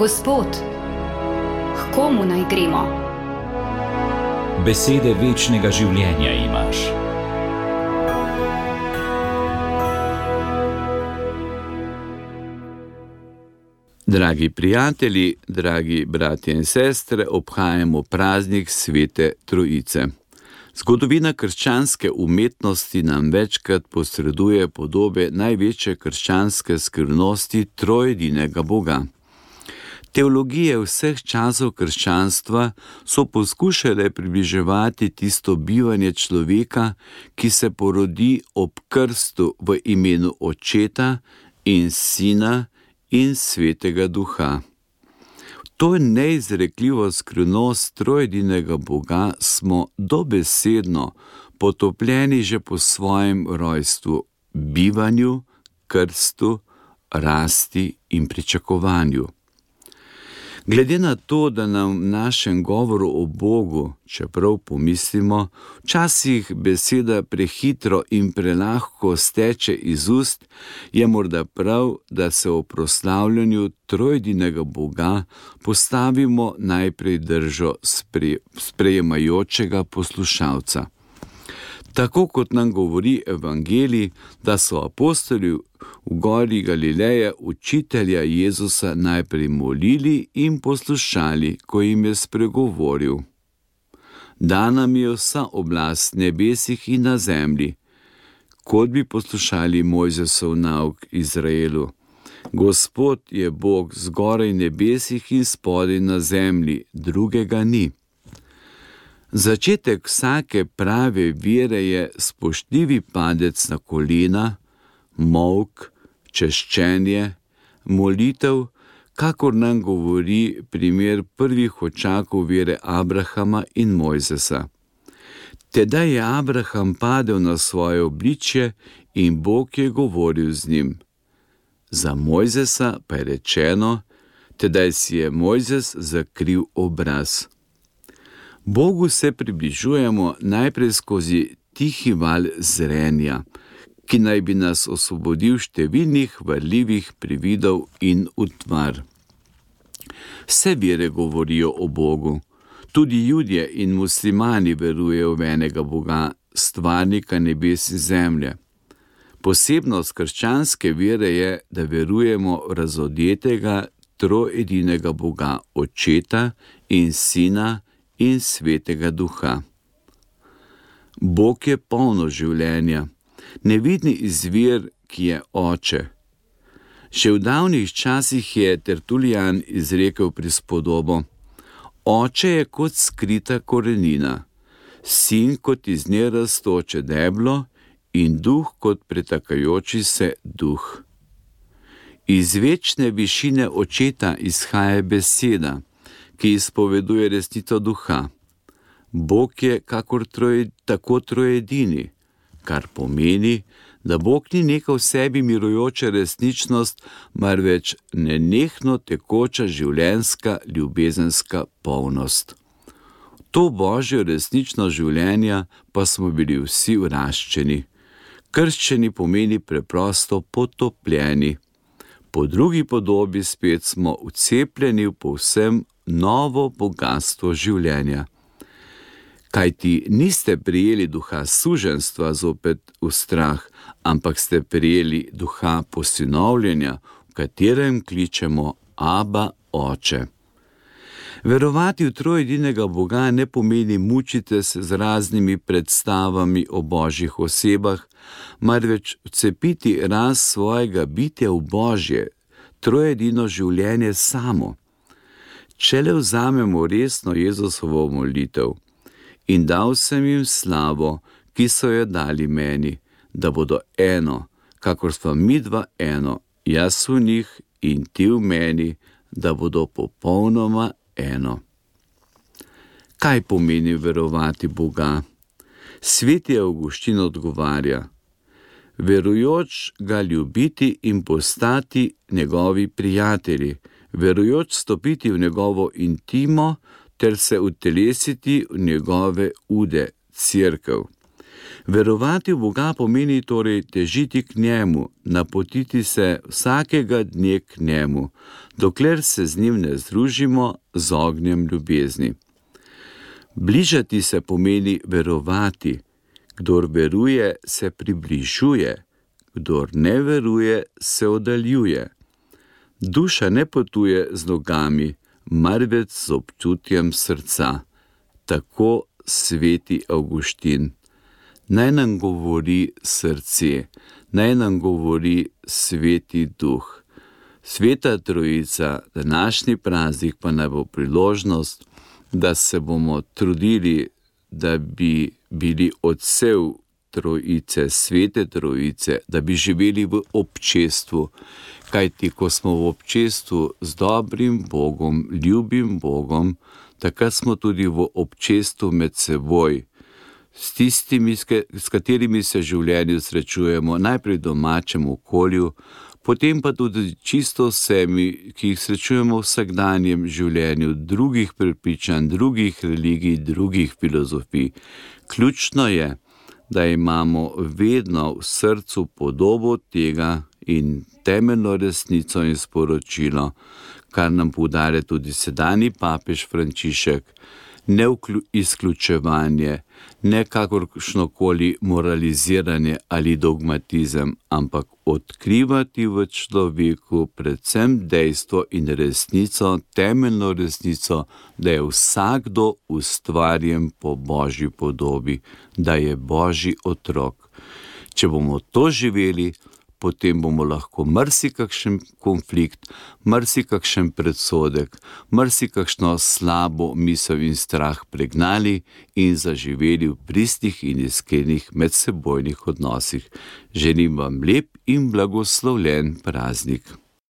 Gospod, k komu naj gremo? Besede večnega življenja imaš. Dragi prijatelji, dragi bratje in sestre, obhajamo praznik Svete Trojice. Zgodovina krščanske umetnosti nam večkrat posreduje podobe največje krščanske skrivnosti trojedinega Boga. Teologije vseh časov krščanstva so poskušale približevati tisto bivanje človeka, ki se porodi ob krstu v imenu Očeta in Sina in Svetega Duha. To neizrekljivo skrivnost trojedinega Boga smo dobesedno potopljeni že po svojem rojstvu, bivanju, krstu, rasti in pričakovanju. Glede na to, da nam v našem govoru o Bogu, čeprav pomislimo, včasih beseda prehitro in prelahko steče iz ust, je morda prav, da se o proslavljanju trojedinega Boga postavimo najprej držo sprejemajočega poslušalca. Tako kot nam govori Evangelij, da so apostoli v gori Galileje učitelja Jezusa najprej molili in poslušali, ko jim je spregovoril. Dana mi je vsa oblast nebesih in na zemlji, kot bi poslušali Mojzesov nauk Izraelu. Gospod je Bog zgoraj nebesih in spodaj na zemlji, drugega ni. Začetek vsake prave vere je spoštljivi padec na kolena, molk, češčenje, molitev, kakor nam govori primer prvih očakov vere Abrahama in Mojzesa. Tedaj je Abraham padel na svoje obličje in Bog je govoril z njim. Za Mojzesa pa je rečeno, tedaj si je Mojzes zakril obraz. Bogu se približujemo najprej skozi tihi val zrenja, ki naj bi nas osvobodil številnih varljivih prividov in utvar. Vse vere govorijo o Bogu. Tudi Judje in muslimani verujejo v enega Boga, stvarnika nebes in zemlje. Posebnost krščanske vere je, da verujemo v razodetega trojedinega Boga, Očeta in Sina in Svetega Duha. Bog je polno življenja, nevidni izvir, ki je Oče. Še v davnih časih je Tertulijan izrekel prispodobo: Oče je kot skrita korenina, Sin kot iz nje rastoče deblo in Duh kot pretakajoči se duh. Iz večne višine Očeta izhaja beseda, ki izpoveduje resnico Duha. Bog je tako trojedini, kar pomeni, da Bog ni neka v sebi mirujoča resničnost, marveč nenehno tekoča življenjska ljubezenska polnost. To božjo resničnost življenja pa smo bili vsi vraščeni. Krščeni pomeni preprosto potopljeni. Po drugi podobi spet smo vcepljeni v povsem novo bogastvo življenja. Kajti niste prijeli duha suženjstva zopet v strah, ampak ste prijeli duha posinovljenja, v katerem kličemo Aba, Oče. Verovati v trojedinega Boga ne pomeni mučiti se z raznimi predstavami o božjih osebah, marveč vcepiti rast svojega bitja v Božje, trojedino življenje samo. Če le vzamemo resno Jezusovo molitev: In dal sem jim slavo, ki so jo dali meni, da bodo eno, kakor sva midva eno, jaz v njih in ti v meni, da bodo popolnoma eno. Kaj pomeni verovati Boga? Sveti Avguštin odgovarja: verujoč ga ljubiti in postati njegovi prijatelji, verujoč stopiti v njegovo intimo ter se utelesiti v njegove ude, cerkev. Verovati v Boga pomeni torej težiti k njemu, napotiti se vsakega dne k njemu, dokler se z njim ne združimo z ognjem ljubezni. Bližati se pomeni verovati. Kdor veruje, se približuje, kdor ne veruje, se oddaljuje. Duša ne potuje z nogami, marveč z občutjem srca. Tako sveti Avguštin. Naj nam govori srce, naj nam govori Sveti Duh. Sveta Trojica, današnji praznik pa naj bo priložnost, da se bomo trudili, da bi bili odsev Trojice, Svete Trojice, da bi živeli v občestvu. Kajti, ko smo v občestvu z dobrim Bogom, ljubim Bogom, takrat smo tudi v občestvu med seboj, s tistimi, s katerimi se v življenju srečujemo, najprej v domačem okolju, potem pa tudi čisto vsemi, ki jih srečujemo v vsakdanjem življenju, drugih prepričanj, drugih religij, drugih filozofij. Ključno je, da imamo vedno v srcu podobo tega in temeljno resnico in sporočilo, kar nam poudarja tudi sedanji papež Frančišek, ne izključevanje, ne kakršnokoli moraliziranje ali dogmatizem, ampak odkrivati v človeku predvsem dejstvo in resnico, temeljno resnico, da je vsakdo ustvarjen po Božji podobi, da je Božji otrok. Če bomo to živeli, potem bomo lahko marsikakšen konflikt, marsikakšen predsodek, marsikakšno slabo misel in strah pregnali in zaživeli v pristih in iskrenih medsebojnih odnosih. Želim vam lep in blagoslovljen praznik.